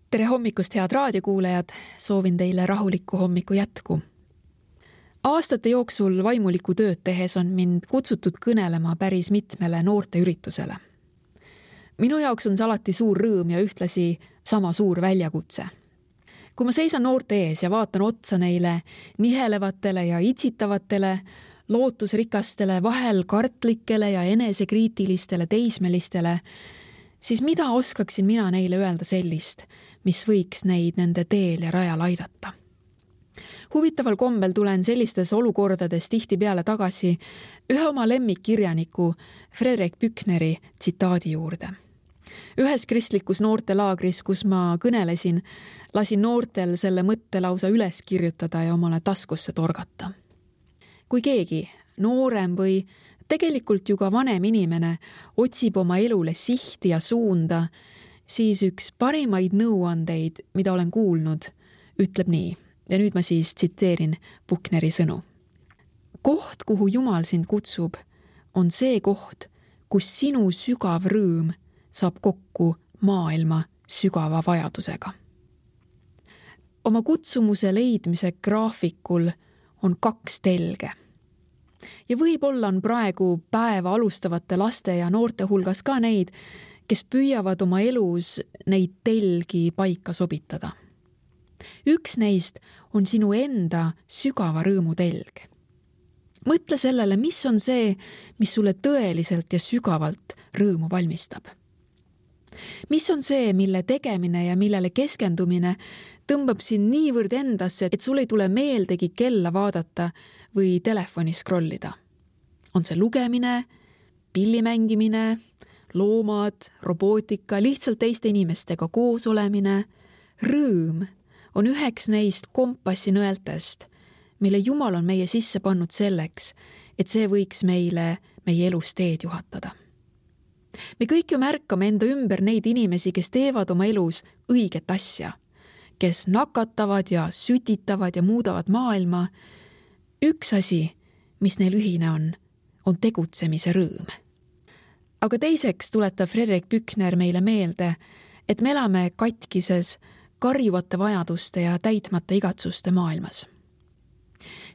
Tere hommikust, head raadiokuulajad! Soovin teile rahulikku hommiku jätku. Aastate jooksul vaimulikku tööd tehes on mind kutsutud kõnelema päris mitmele noorteüritusele. Minu jaoks on see alati suur rõõm ja ühtlasi sama suur väljakutse. Kui ma seisan noorte ees ja vaatan otsa neile nihelevatele ja itsitavatele, lootusrikastele, vahel kartlikele ja enesekriitilistele teismelistele, siis mida oskaksin mina neile öelda sellist, mis võiks neid nende teel ja rajal aidata? Huvitaval kombel tulen sellistes olukordades tihtipeale tagasi ühe oma lemmikkirjaniku Fredrik Büchneri tsitaadi juurde. Ühes kristlikus noortelaagris, kus ma kõnelesin, lasin noortel selle mõtte lausa üles kirjutada ja omale taskusse torgata. Kui keegi, noorem või tegelikult ju ka vanem inimene, otsib oma elule sihti ja suunda, siis üks parimaid nõuandeid, mida olen kuulnud, ütleb nii. Ja nüüd ma siis tsiteerin Büchneri sõnu. Koht, kuhu Jumal sind kutsub, on see koht, kus sinu sügav rõõm saab kokku maailma sügava vajadusega. Oma kutsumuse leidmise graafikul on 2 telge. Ja võib-olla on praegu päeva alustavate laste ja noorte hulgas ka neid, kes püüavad oma elus neid telgi paika sobitada. Üks neist on sinu enda sügava rõõmu telg. Mõtle sellele, mis on see, mis sulle tõeliselt ja sügavalt rõõmu valmistab. Mis on see, mille tegemine ja millele keskendumine tõmbab sind niivõrd endasse, et sul ei tule meeldegi kella vaadata või telefoni scrollida. On see lugemine, pillimängimine, loomad, robootika, lihtsalt teiste inimestega koos olemine. Rõõm on üheks neist kompassinõeltest, mille Jumal on meie sisse pannud selleks, et see võiks meile meie elus teed juhatada. Me kõik ju märkame enda ümber neid inimesi, kes teevad oma elus õiget asja, kes nakatavad ja sütitavad ja muudavad maailma. Üks asi, mis neil ühine on tegutsemise rõõm. Aga teiseks tuletab Fredrik Büchner meile meelde, et me elame katkises, karjuvate vajaduste ja täitmata igatsuste maailmas.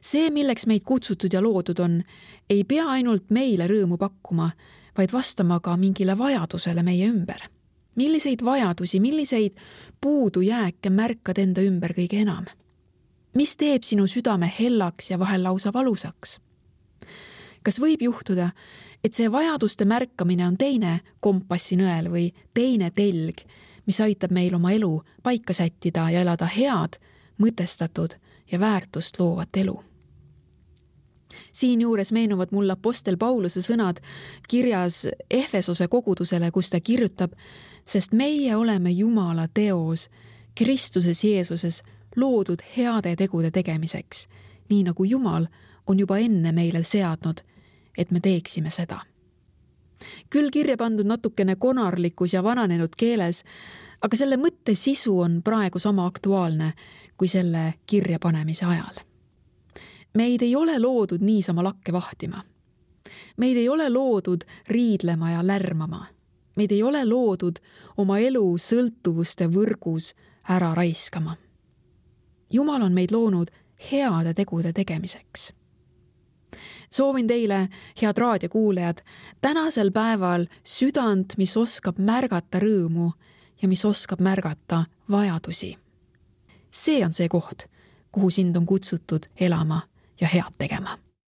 See, milleks meid kutsutud ja loodud on, ei pea ainult meile rõõmu pakkuma, vaid vastama ka mingile vajadusele meie ümber. Milliseid vajadusi, milliseid puudujääke märkad enda ümber kõige enam? Mis teeb sinu südame hellaks ja vahel lausa valusaks? Kas võib juhtuda, et see vajaduste märkamine on teine kompassinõel või teine telg, mis aitab meil oma elu paika sättida ja elada head, mõtestatud ja väärtust loovat elu? Siin juures meenuvad mulle apostel Pauluse sõnad kirjas Efesose kogudusele, kus ta kirjutab, sest meie oleme Jumala teos Kristuses Jeesuses loodud heade tegude tegemiseks, nii nagu Jumal on juba enne meile seadnud, et me teeksime seda. Küll kirja pandud natukene konarlikus ja vananenud keeles, aga selle mõtte sisu on praegu sama aktuaalne kui selle kirja panemise ajal. Meid ei ole loodud niisama lakke vahtima. Meid ei ole loodud riidlema ja lärmama. Meid ei ole loodud oma elu sõltuvuste võrgus ära raiskama. Jumal on meid loonud heade tegude tegemiseks. Soovin teile, head raadiokuulajad, tänasel päeval südant, mis oskab märgata rõõmu ja mis oskab märgata vajadusi. See on see koht, kuhu sind on kutsutud elama ja head tegema.